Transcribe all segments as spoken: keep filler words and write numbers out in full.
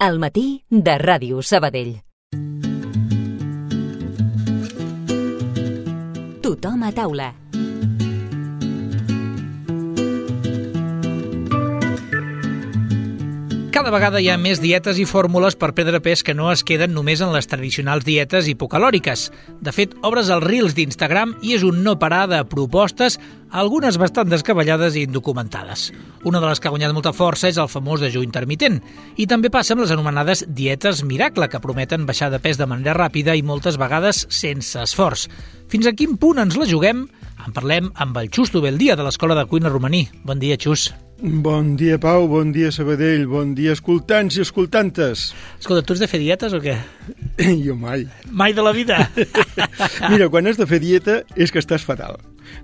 Al matí de Ràdio Sabadell. Tothom a taula. Cada vegada hi ha més dietes i fórmules per perdre pes que no es queden només en les tradicionals dietes hipocalòriques. De fet, obres els Reels d'Instagram i és un no parar de propostes, algunes bastant descabellades i indocumentades. Una de les que ha guanyat molta força és el famós dejú intermitent. I també passa amb les anomenades dietes miracle, que prometen baixar de pes de manera ràpida i moltes vegades sense esforç. Fins a quin punt ens la juguem? En parlem amb el Xus Tubeldia, de l'Escola de Cuina Romaní. Bon dia, Xus. Bon dia, Pau, bon dia, Sabadell, bon dia, escoltants i escoltantes. Escolta, tu has de fer dietes o què? Jo mai. Mai de la vida? Mira, quan has de fer dieta és que estàs fatal,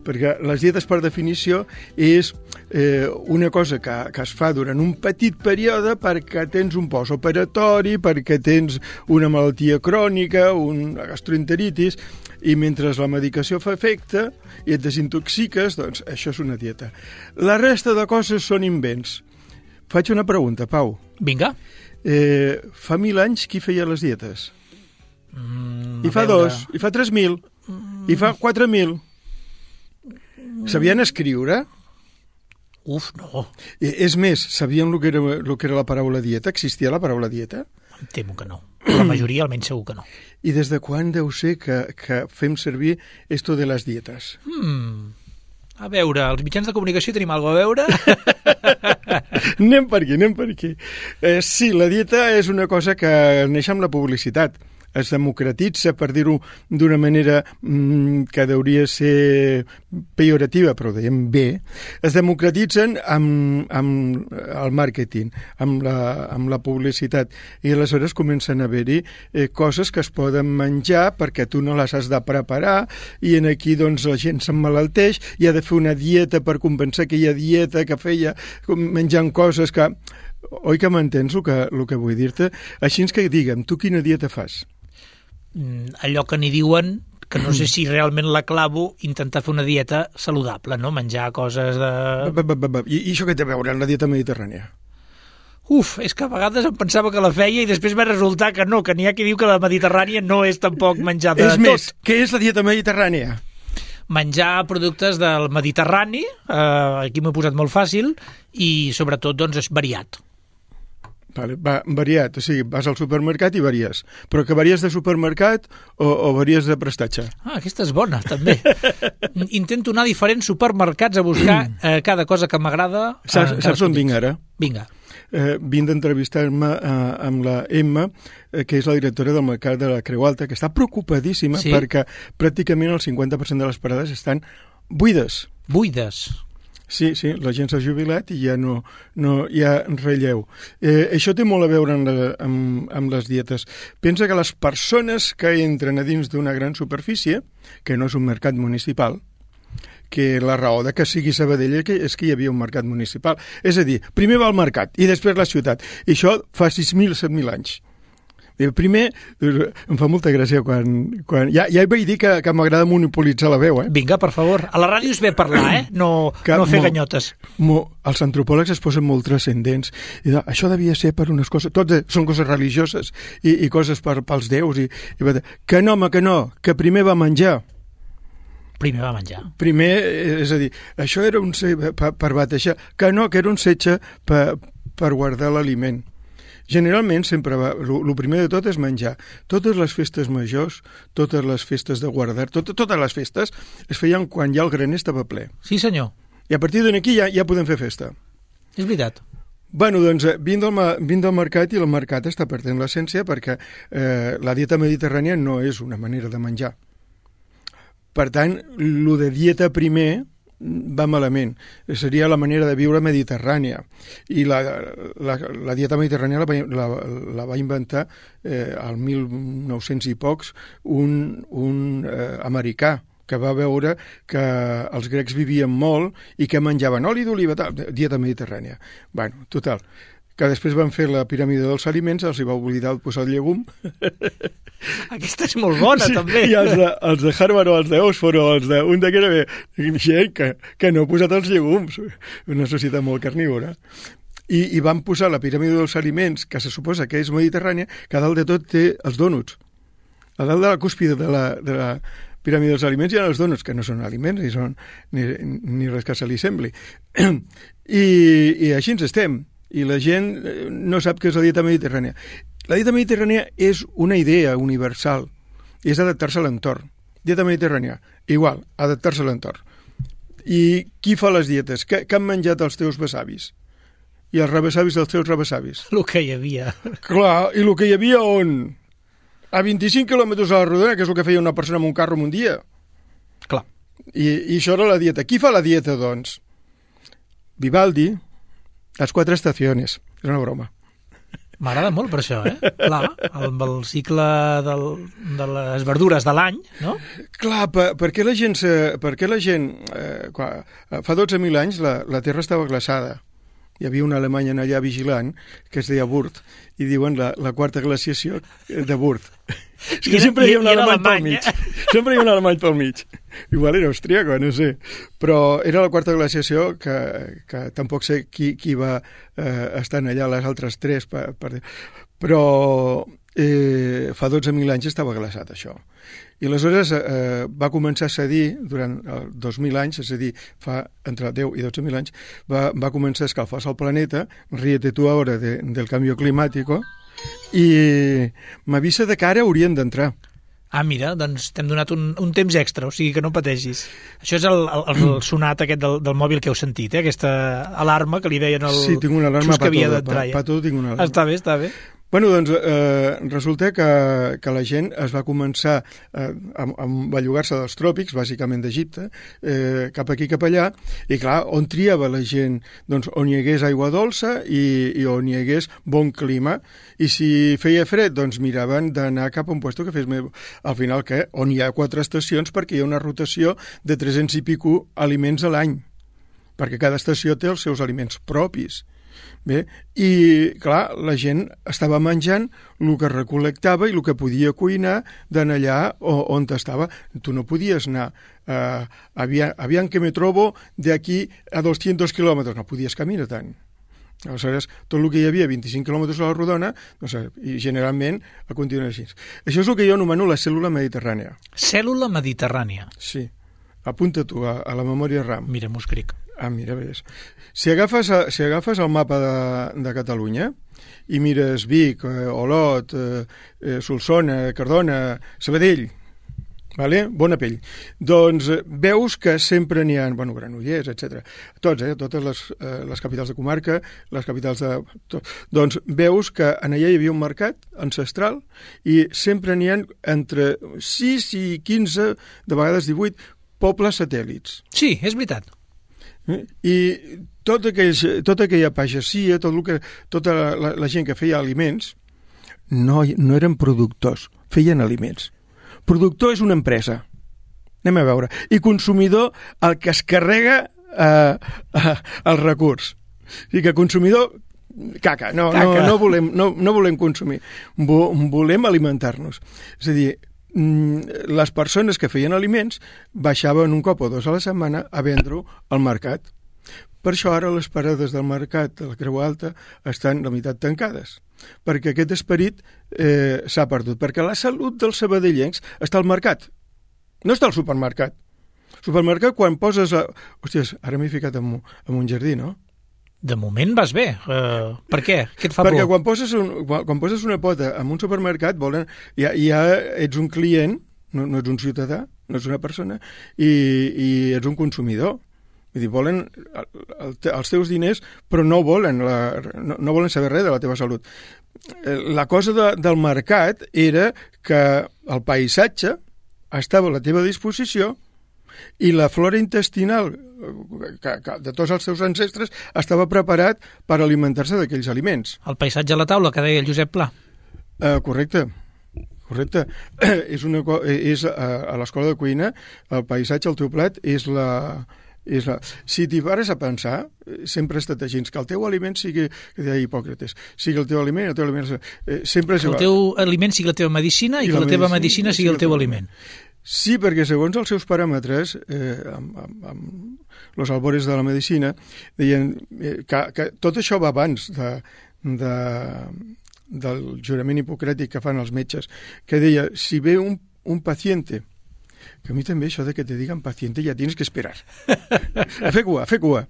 perquè les dietes, per definició, és eh, una cosa que, que es fa durant un petit període perquè tens un postoperatori, perquè tens una malaltia crònica, una gastroenteritis, i mentre la medicació fa efecte i et desintoxiques, doncs això és una dieta. La resta de coses són invents. Faig una pregunta, Pau. Vinga. Eh, fa mil anys qui feia les dietes? Mm, I fa veure. dos, i fa tres mil, mm. i fa quatre mil. Sabien escriure? Uf, no. I, és més, sabien el que, era, el que era la paraula dieta? Existia la paraula dieta? Em temo que no. La majoria almenys segur que no. I des de quan deu ser que, que fem servir esto de les dietes? Hmm. A veure, els mitjans de comunicació tenim alguna a veure? Anem per aquí, anem per aquí. Eh, sí, la dieta és una cosa que neix amb la publicitat. Es democratitza, per dir-ho d'una manera mm, que hauria ser pejorativa, però ho dèiem bé, es democratitzen amb, amb el màrqueting, amb la, amb la publicitat, i aleshores comencen a haver-hi eh, coses que es poden menjar perquè tu no les has de preparar, i en aquí doncs la gent s'emmalalteix i ha de fer una dieta per compensar aquella dieta que feia menjant coses que... Oi que m'entens el que, el que vull dir-te? Així que digue'm, tu quina dieta fas? Allò que n'hi diuen, que no sé si realment la clavo, intentar fer una dieta saludable, no? Menjar coses de... Ba, ba, ba, ba. I, I això què té a veure amb la dieta mediterrània? Uf, és que a vegades em pensava que la feia i després va resultar que no, que n'hi ha qui diu que la mediterrània no és tampoc menjar de és tot. És més, què és la dieta mediterrània? Menjar productes del Mediterrani, eh, aquí m'ho he posat molt fàcil, i sobretot doncs és variat. Vale, va, variat, o sigui, vas al supermercat i varies. Però que varies de supermercat o, o varies de prestatge? Ah, aquesta és bona, també. Intento anar a diferents supermercats a buscar eh, cada cosa que m'agrada. Saps, saps on vinc ara? Vinga. Eh, vinc d'entrevistar-me eh, amb la Emma, eh, que és la directora del mercat de la Creu Alta, que està preocupadíssima sí? perquè pràcticament el cinquanta per cent de les parades estan buides. Buides? Sí, sí, la gent s'ha jubilat i ja no, no hi ha relleu. Eh, això té molt a veure amb, la, amb, amb les dietes. Pensa que les persones que entren a dins d'una gran superfície, que no és un mercat municipal, que la raó de que sigui Sabadell és que hi havia un mercat municipal. És a dir, primer va al mercat i després la ciutat. I això fa sis mil, set mil anys. El primer, em fa molta gràcia quan... quan ja, ja vaig dir que, que m'agrada monopolitzar la veu, eh? Vinga, per favor. A la ràdio és bé parlar, eh? No, que, no fer mo, ganyotes. Mo, els antropòlegs es posen molt transcendents. I de, això devia ser per unes coses... Tots són coses religioses i, i coses per, pels déus. I, i, que no, home, que no, que primer va menjar. Primer va menjar. Primer, és a dir, això era un per, per batejar. Que no, que era un setge per, per guardar l'aliment. Generalment sempre va, el primer de tot és menjar. Totes les festes majors, totes les festes de guardar, tot, totes les festes es feien quan ja el graner estava ple. Sí, senyor. I a partir d'aquí ja, ja podem fer festa. És veritat. Bueno, doncs, vinc del, vinc del mercat i el mercat està perdent l'essència perquè eh, la dieta mediterrània no és una manera de menjar. Per tant, lo de dieta primer va malament. Seria la manera de viure mediterrània. I la, la, la dieta mediterrània la va, la, la va inventar eh, al mil nou-cents i pocs un, un eh, americà que va veure que els grecs vivien molt i que menjaven oli d'oliva, dieta mediterrània. Bueno, total, que després van fer la piràmide dels aliments, els hi va oblidar posar el llegum. Aquesta és molt bona, sí, també. I els de, els de Harvard o els d'Oxford o els de un de que era bé, que, que no ha posat els llegums. Una societat molt carnívora. I, i van posar la piràmide dels aliments, que se suposa que és mediterrània, que a dalt de tot té els dònuts. A dalt de la cúspide de la, de la piràmide dels aliments hi ha els dònuts, que no són aliments ni, són, ni, ni res que se li sembli. I, I així ens estem. I la gent no sap què és la dieta mediterrània. La dieta mediterrània és una idea universal i és adaptar-se a l'entorn. Dieta mediterrània, igual, adaptar-se a l'entorn. I qui fa les dietes? Què, què han menjat els teus besavis? I els rebesavis dels teus rebesavis? El que hi havia. Clar, i el que hi havia on? A vint-i-cinc quilòmetres a la rodona, que és el que feia una persona amb un carro en un dia. Clar. I, i això era la dieta. Qui fa la dieta, doncs? Vivaldi, les quatre estacions. És una broma. M'agrada molt per això, eh? Clar, el, el cicle del, de les verdures de l'any, no? Clar, per, per què la gent... Per què la gent eh, quan, fa dotze mil anys la, la Terra estava glaçada. Hi havia un alemany allà vigilant que es deia Wurth, i diuen la, la quarta glaciació de Wurth. És que sempre hi ha un alemany pel mig. Sempre hi ha un alemany pel mig. Igual era austríaco, no sé. Però era la quarta glaciació que, que tampoc sé qui, qui va eh, estar allà les altres tres. Per, per... Però eh, fa dotze mil anys estava glaçat, això. I aleshores eh, va començar a cedir durant eh, dos mil anys, és a dir, fa entre deu i dotze mil anys, va, va començar a escalfar-se el planeta, ríete tu ara de, del canvi climàtic, i m'avisa de que ara haurien d'entrar. Ah, mira, doncs t'hem donat un, un temps extra, o sigui que no pateixis. Això és el, el, el sonat aquest del, del mòbil que heu sentit, eh? Aquesta alarma que li deien el sí, tinc una alarma que havia d'entrar. Pa, pa tot tinc una alarma. Està bé, està bé. Bueno, doncs eh, resulta que, que la gent es va començar eh, a, a bellugar-se dels tròpics, bàsicament d'Egipte, eh, cap aquí, cap allà, i clar, on triava la gent? Doncs on hi hagués aigua dolça i, i on hi hagués bon clima, i si feia fred, doncs miraven d'anar cap a un lloc que fes més... Al final, què? On hi ha quatre estacions perquè hi ha una rotació de tres-cents i pico aliments a l'any, perquè cada estació té els seus aliments propis. Bé, i clar, la gent estava menjant el que recol·lectava i el que podia cuinar d'en allà on estava. Tu no podies anar eh, aviam, aviam que me trobo de aquí a doscientos kilòmetres, no podies caminar tant. Aleshores, tot el que hi havia, vint-i-cinc quilòmetres a la rodona, no sé, i generalment a continuar així. Això és el que jo anomeno la cèl·lula mediterrània. Cèl·lula mediterrània. Sí. Apunta tu a, a la memòria RAM. Mira, m'ho escric. Ah, mira, ves. Si agafes, si agafes el mapa de, de Catalunya i mires Vic, eh, Olot, eh, Solsona, Cardona, Sabadell, vale? Bona pell, doncs eh, veus que sempre n'hi ha, bueno, Granollers, etcètera. Tots, eh, totes les, eh, les capitals de comarca, les capitals de... Tot. Doncs veus que en allà hi havia un mercat ancestral i sempre n'hi ha entre sis i quinze, de vegades divuit, pobles satèl·lits. Sí, és veritat. I tot aquells, tota aquella pagesia, tot el que, tota la, la gent que feia aliments, no, no eren productors, feien aliments. Productor és una empresa. Anem a veure. I consumidor, el que es carrega eh, eh, el recurs. O sigui que consumidor, caca. No, caca. no, no, volem, no, no volem consumir. Vo, volem alimentar-nos. És a dir, les persones que feien aliments baixaven un cop o dos a la setmana a vendre-ho al mercat. Per això ara les parades del mercat de la Creu Alta estan la meitat tancades, perquè aquest esperit eh, s'ha perdut, perquè la salut dels sabadellencs està al mercat, no està al supermercat. El supermercat, quan poses... A... Hòsties, ara m'he ficat en un, en un jardí, no? De moment vas bé. Uh, per què? Què et fa Perquè por? quan poses, un, quan, quan poses una pota en un supermercat, volen, ja, ja ets un client, no, no ets un ciutadà, no ets una persona, i, i ets un consumidor. Vull dir, volen el, el, els teus diners, però no volen, la, no, no volen saber res de la teva salut. La cosa de, del mercat era que el paisatge estava a la teva disposició i la flora intestinal que, que de tots els seus ancestres estava preparat per alimentar-se d'aquells aliments. El paisatge a la taula, que deia el Josep Pla. Uh, correcte. Correcte. és una, és, uh, a l'escola de cuina, el paisatge, el teu plat, és la... És la... Si t'hi pares a pensar, sempre ha estat així, que el teu aliment sigui, que deia Hipòcrates, sigui el teu aliment, el teu aliment... Eh, sempre que el teu aliment sigui la teva medicina i, i que la, la teva medicina sigui el teu aliment. Sí, perquè segons els seus paràmetres, eh, amb, amb, amb los albores de la medicina, deien eh, que, que tot això va abans de, de, del jurament hipocràtic que fan els metges, que deia, si ve un, un paciente, que a mi també això de que te digan paciente ja tienes que esperar. A fer cua, a fer cua.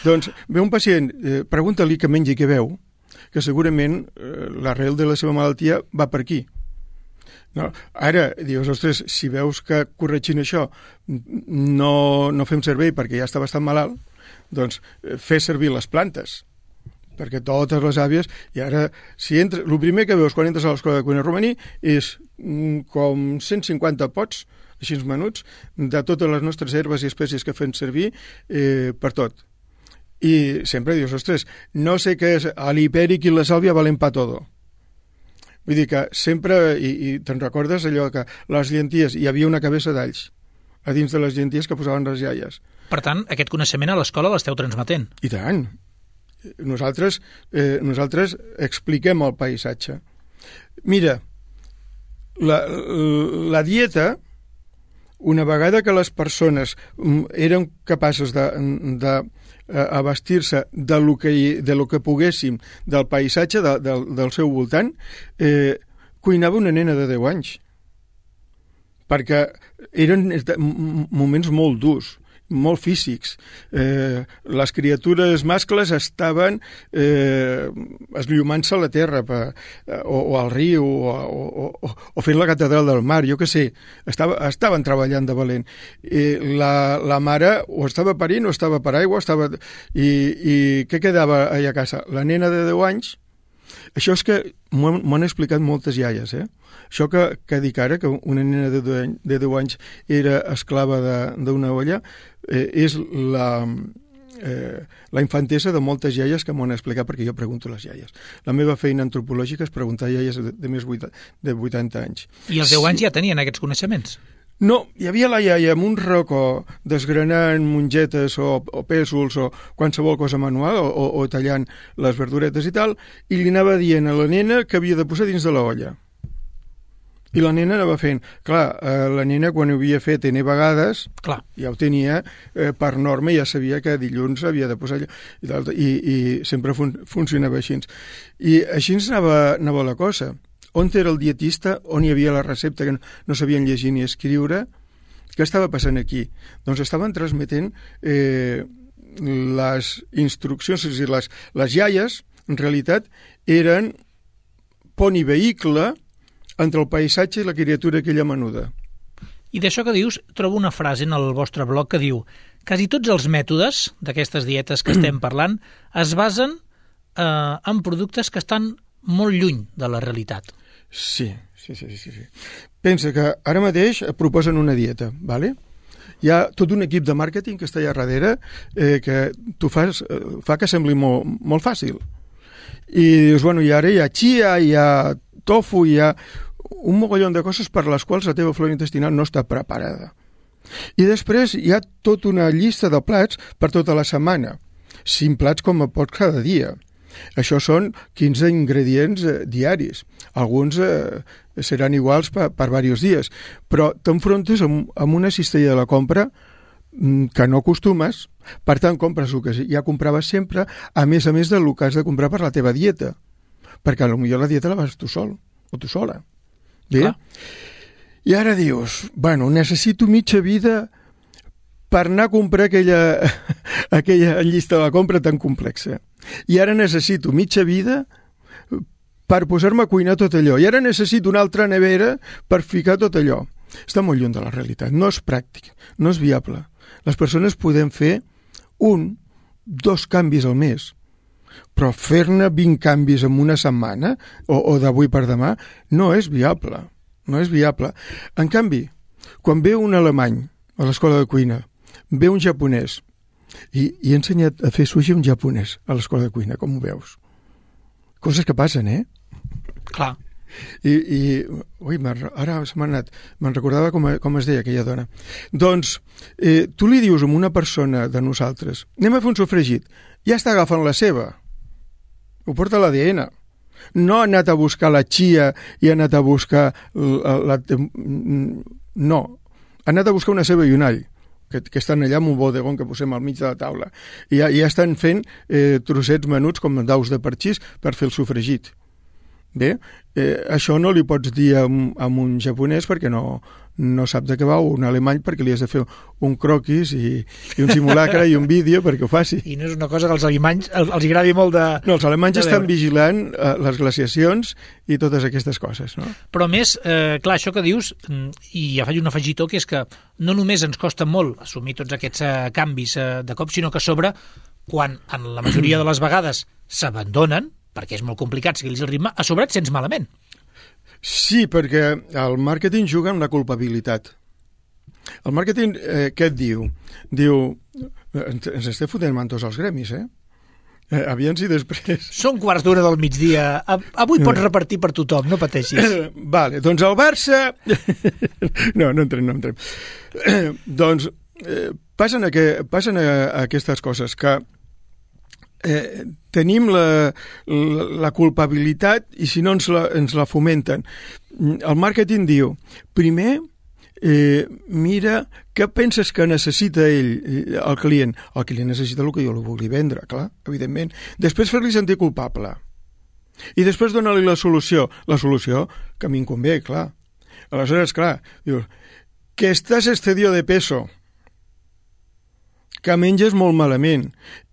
Doncs ve un pacient, eh, pregunta-li que mengi què veu, que segurament eh, l'arrel de la seva malaltia va per aquí. No, ara, dius, ostres, si veus que corregint això no, no fem servei perquè ja està bastant malalt, doncs eh, fer servir les plantes, perquè totes les àvies, i ara, si entra, el primer que veus quan entres a l'escola de cuina romaní és mm, com cent cinquanta pots, així menuts, de totes les nostres herbes i espècies que fem servir eh, per tot. I sempre dius, ostres, no sé què és, l'hipèric i la sàlvia valen pa todo. Vull dir que sempre, i, i te'n recordes allò que les llenties, hi havia una cabeça d'alls a dins de les llenties que posaven les iaies. Per tant, aquest coneixement a l'escola l'esteu transmetent. I tant. Nosaltres, eh, nosaltres expliquem el paisatge. Mira, la, la dieta, una vegada que les persones eren capaces de, de abastir-se de lo que, de lo que poguéssim del paisatge de, de, del seu voltant, eh, cuinava una nena de deu anys. Perquè eren moments molt durs, molt físics. Eh, les criatures mascles estaven eh, esllomant-se a la terra per, o, o al riu o, o, o, o fent la catedral del mar, jo què sé, estava, estaven treballant de valent. Eh, la, la mare o estava parint o estava per aigua, estava... I, i què quedava allà a casa? La nena de deu anys. Això és que m'ho han explicat moltes iaies, eh? Això que, que dic ara, que una nena de deu anys era esclava d'una olla, eh, és la, eh, la infantesa de moltes iaies que m'ho han explicat, perquè jo pregunto a les iaies. La meva feina antropològica és preguntar a iaies de, de més de vuitanta anys. I als deu anys ja tenien aquests coneixements? No, hi havia la iaia amb un racó desgranant mongetes o, o pèsols o qualsevol cosa manual o, o, o tallant les verduretes i tal, i li anava dient a la nena que havia de posar dins de la olla. I la nena anava fent. Clar, eh, la nena quan ho havia fet ene vegades, Clar. ja ho tenia eh, per norma, ja sabia que dilluns havia de posar allò, i, i, i sempre fun funcionava així. I així ens anava, anava la cosa. On era el dietista, on hi havia la recepta que no, no sabien llegir ni escriure. Què estava passant aquí? Doncs estaven transmetent eh, les instruccions, és a dir, les, les iaies, en realitat, eren pont i vehicle entre el paisatge i la criatura aquella menuda. I d'això que dius, trobo una frase en el vostre blog que diu: quasi tots els mètodes d'aquestes dietes que estem parlant es basen eh, en productes que estan molt lluny de la realitat. Sí, sí, sí, sí, sí. Pensa que ara mateix proposen una dieta, ¿vale? Hi ha tot un equip de màrqueting que està allà darrere eh, que tu fas, eh, fa que sembli molt, molt fàcil. I dius, bueno, i ara hi ha chia, hi ha tofu, hi ha un mogollon de coses per les quals la teva flora intestinal no està preparada. I després hi ha tota una llista de plats per tota la setmana, cinc plats com a pots cada dia. Això són quinze ingredients eh, diaris. Alguns eh, seran iguals per, per diversos dies, però t'enfrontes amb, amb una cistella de la compra mm, que no acostumes, per tant compres el que ja compraves sempre, a més a més del que has de comprar per la teva dieta, perquè potser la dieta la vas tu sol o tu sola. Bé? Clar. I ara dius, bueno, necessito mitja vida per anar a comprar aquella, aquella llista de la compra tan complexa. I ara necessito mitja vida per posar-me a cuinar tot allò. I ara necessito una altra nevera per ficar tot allò. Està molt lluny de la realitat. No és pràctic, no és viable. Les persones podem fer un, dos canvis al mes, però fer-ne vint canvis en una setmana o, o d'avui per demà no és viable. No és viable. En canvi, quan ve un alemany a l'escola de cuina, ve un japonès, i, i he ensenyat a fer sushi un japonès a l'escola de cuina, com ho veus? Coses que passen, eh? Clar. I, i ui, ara se m'ha anat, me'n recordava com, com es deia aquella dona. Doncs, eh, tu li dius a una persona de nosaltres, anem a fer un sofregit, ja està agafant la seva, ho porta l'A D N. No ha anat a buscar la chia i ha anat a buscar la, la, no, han anat a buscar una ceba i un all, que, que estan allà en un bodegón que posem al mig de la taula, i ja, ja estan fent eh, trossets menuts com daus de parxís per fer el sofregit. Bé, eh, això no li pots dir a, a un japonès perquè no, no sap de què va, o un alemany perquè li has de fer un croquis i, i un simulacre i un vídeo perquè ho faci. I no és una cosa que als alemanys els, els agradi molt de... No, els alemanys estan vigilant eh, les glaciacions i totes aquestes coses, no? Però més, eh, clar, això que dius, i ja faig un afegitó, que és que no només ens costa molt assumir tots aquests eh, canvis eh, de cop, sinó que a sobre, quan en la majoria de les vegades s'abandonen, perquè és molt complicat seguir el ritme, a sobre et sents malament. Sí, perquè el màrqueting juga amb la culpabilitat. El màrqueting, eh, què et diu? Diu, ens, ens estem fotent mantos als gremis, eh? eh aviam si després... Són quarts d'una del migdia. Avui pots repartir per tothom, no pateixis. Vale, doncs el Barça... no, no entrem, no entrem. doncs eh, passen, a que, passen a, a aquestes coses que Eh, tenim la, la, la culpabilitat i si no ens la, ens la fomenten. El màrqueting diu, primer eh, mira què penses que necessita ell, el client. El client necessita el que jo li vulgui vendre, clar, evidentment. Després fer-li sentir culpable. I després donar-li la solució. La solució que a mi em convé, clar. Aleshores, clar, dius, que estàs excedido de peso, que menges molt malament.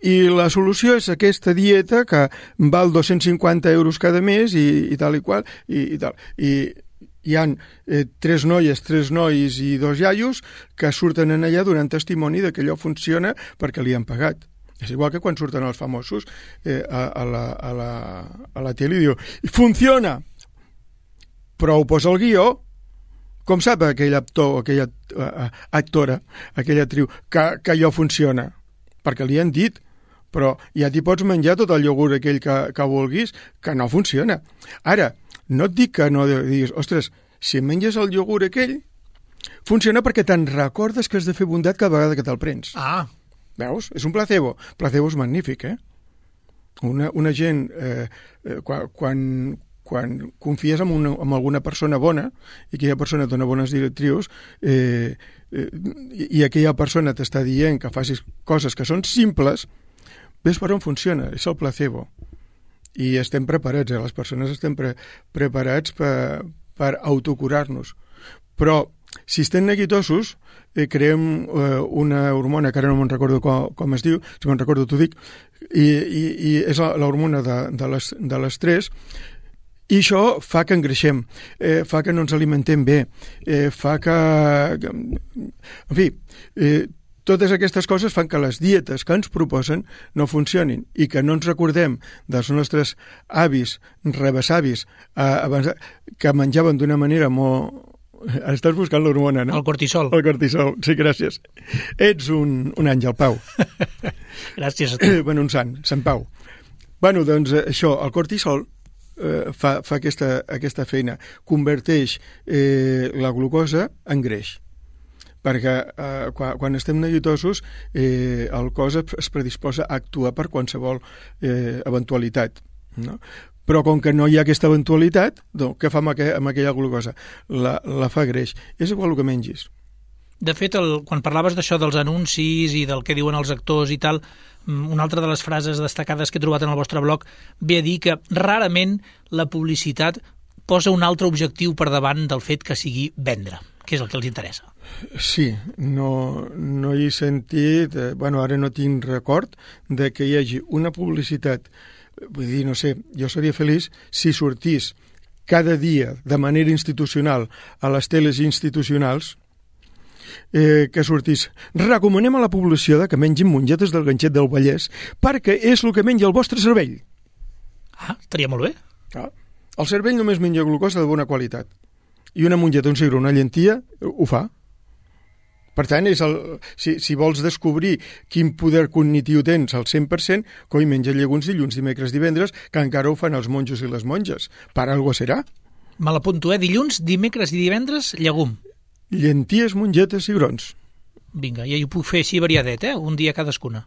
I la solució és aquesta dieta que val dos-cents cinquanta euros cada mes i, i tal i qual, i, i tal. I hi ha eh, tres noies, tres nois i dos iaios que surten en allà donant testimoni de que allò funciona perquè li han pagat. És igual que quan surten els famosos eh, a, a, la, a, la, a la tele i diu, funciona! Però ho posa el guió. Com sap aquell actor, aquella uh, actora, aquella actriu, que, que allò funciona? Perquè li han dit, però ja t'hi pots menjar tot el iogurt aquell que, que vulguis, que no funciona. Ara, no et dic que no diguis, ostres, si menges el iogurt aquell, funciona perquè te'n recordes que has de fer bondat cada vegada que te'l prens. Ah. Veus? És un placebo. Placebo és magnífic, eh? Una, una gent, eh, quan... quan quan confies en, una, en alguna persona bona i aquella persona et dona bones directrius eh, eh, i aquella persona t'està dient que facis coses que són simples, ves per on funciona, és el placebo. I estem preparats, eh? Les persones estem pre preparats per, per autocurar-nos. Però si estem neguitosos, eh, creem eh, una hormona, que ara no me'n recordo com, com es diu, si me'n recordo t'ho dic, i, i, i és l'hormona de, de l'estrès. I això fa que engreixem, eh, fa que no ens alimentem bé, eh, fa que... En fi, eh, totes aquestes coses fan que les dietes que ens proposen no funcionin i que no ens recordem dels nostres avis, rebesavis, eh, abans, que menjaven d'una manera molt... Estàs buscant l'hormona, no? El cortisol. El cortisol, sí, gràcies. Ets un, un àngel, Pau. Gràcies a tu. Bueno, un sant, Sant Pau. Bueno, doncs això, el cortisol Eh, fa, fa aquesta, aquesta feina, converteix eh, la glucosa en greix, perquè eh, quan, quan estem neguitosos eh, el cos es predisposa a actuar per qualsevol eh, eventualitat, no? Però com que no hi ha aquesta eventualitat, doncs, què fa amb, aqu amb aquella glucosa? La, la fa greix. És igual el que mengis. De fet, el, quan parlaves d'això dels anuncis i del que diuen els actors i tal, una altra de les frases destacades que he trobat en el vostre blog ve a dir que rarament la publicitat posa un altre objectiu per davant del fet que sigui vendre, que és el que els interessa. Sí, no, no hi he sentit, eh, bueno, ara no tinc record de que hi hagi una publicitat, vull dir, no sé, jo seria feliç si sortís cada dia de manera institucional a les teles institucionals, Eh, que sortís. Recomanem a la població de que mengin mongetes del ganxet del Vallès perquè és el que menja el vostre cervell. Ah, estaria molt bé. Ah, el cervell només menja glucosa de bona qualitat. I una mongeta, un cigró, una llentia, ho fa. Per tant, és el, si, si vols descobrir quin poder cognitiu tens al cent per cent, coi, menja llegums dilluns, dimecres, divendres, que encara ho fan els monjos i les monges. Per algo serà. Me l'apunto, eh? Dilluns, dimecres i divendres, llegum. Llenties, mongetes, cigrons. Vinga, ja ho puc fer així variadet, eh? Un dia cadascuna.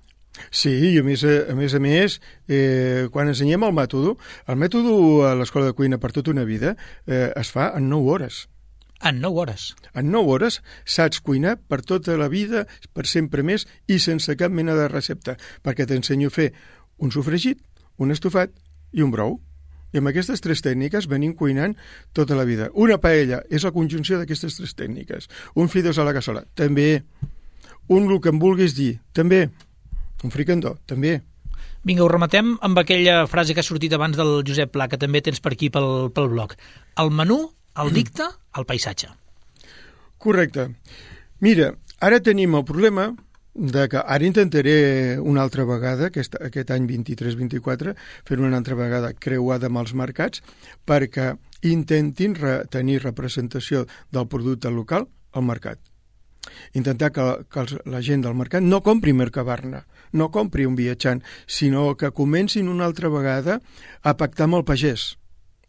Sí, i a més a més, a més eh, quan ensenyem el mètode, el mètode a l'Escola de Cuina per tota una vida eh, es fa en nou hores. En nou hores. En nou hores saps cuinar per tota la vida, per sempre més, i sense cap mena de recepta, perquè t'ensenyo a fer un sofregit, un estofat i un brou. I amb aquestes tres tècniques venim cuinant tota la vida. Una paella és la conjunció d'aquestes tres tècniques. Un fideus a la cassola, també. Un el que em vulguis dir, també. Un fricandó, també. Vinga, ho rematem amb aquella frase que ha sortit abans del Josep Pla, que també tens per aquí pel, pel blog. El menú el dicta el paisatge. Correcte. Mira, ara tenim el problema de que ara intentaré una altra vegada, aquest, aquest any vint-i-tres vint-i-quatre, fer una altra vegada creuada amb els mercats, perquè intentin re, tenir representació del producte local al mercat. Intentar que, que els, la gent del mercat no compri Mercabarna, no compri un viatjant, sinó que comencin una altra vegada a pactar amb el pagès,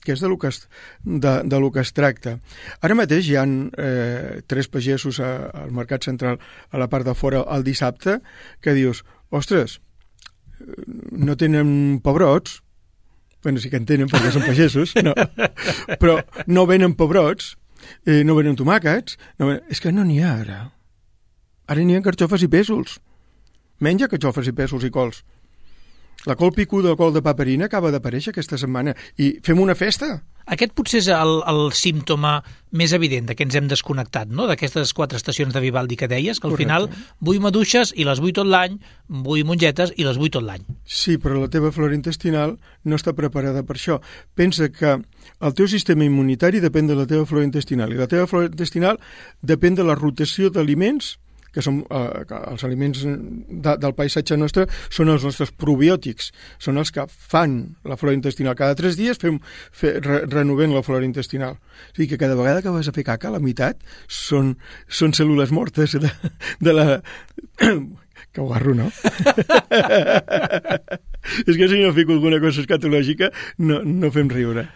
que és de lo que es, de, de lo que es tracta. Ara mateix hi ha eh, tres pagesos a, al Mercat Central, a la part de fora, el dissabte, que dius, ostres, no tenen pebrots, bueno, sí que en tenen perquè són pagesos, no, però no venen pebrots, Eh, no venen tomàquets, no venen... és que no n'hi ha ara. Ara n'hi ha carxofes i pèsols. Menja carxofes i pèsols i cols. La col picuda o col de paperina acaba d'aparèixer aquesta setmana i fem una festa. Aquest potser és el, el símptoma més evident de que ens hem desconnectat, no? D'aquestes quatre estacions de Vivaldi que deies, que al Correcte. final vull maduixes i les vull tot l'any, vull mongetes i les vull tot l'any. Sí, però la teva flora intestinal no està preparada per això. Pensa que el teu sistema immunitari depèn de la teva flora intestinal i la teva flora intestinal depèn de la rotació d'aliments, que són eh, que els aliments de, del paisatge nostre són els nostres probiòtics, són els que fan la flora intestinal. Cada tres dies fem, fe, re, renovem la flora intestinal. O sigui que cada vegada que vas a fer caca, la meitat són, són cèl·lules mortes de, de la... Que guarro, no? És que si no fico alguna cosa escatològica no, no fem riure.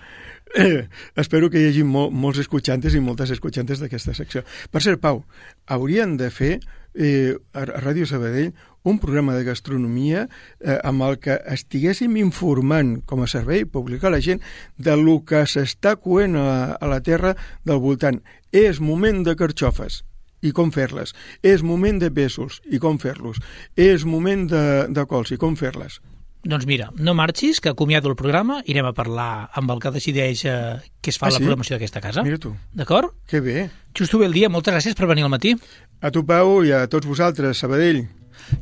Eh, espero que hi hagi mol, molts escuchantes i moltes escuchantes d'aquesta secció. Per cert, Pau, haurien de fer eh, a Ràdio Sabadell un programa de gastronomia eh, amb el que estiguéssim informant com a servei públic a la gent de lo que s'està coent a, a la terra del voltant. És moment de carxofes i com fer-les. És moment de pèsols i com fer-los. És moment de, de cols i com fer-les. Doncs mira, no marxis, que acomiado el programa, irem a parlar amb el que decideix eh, què es fa Ah, la sí? programació d'aquesta casa. Mira tu. D'acord? Que bé. Justo bé el dia, moltes gràcies per venir al matí. A tu, Pau, i a tots vosaltres, Sabadell.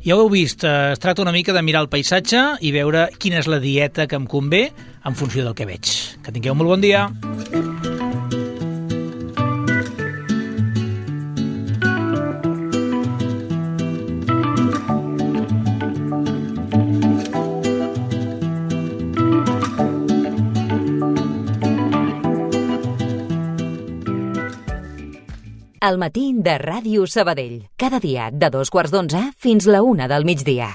Ja ho heu vist, eh, es tracta una mica de mirar el paisatge i veure quina és la dieta que em convé en funció del que veig. Que tingueu molt bon dia. El matí de Ràdio Sabadell. Cada dia de dos quarts d'onze fins la una del migdia.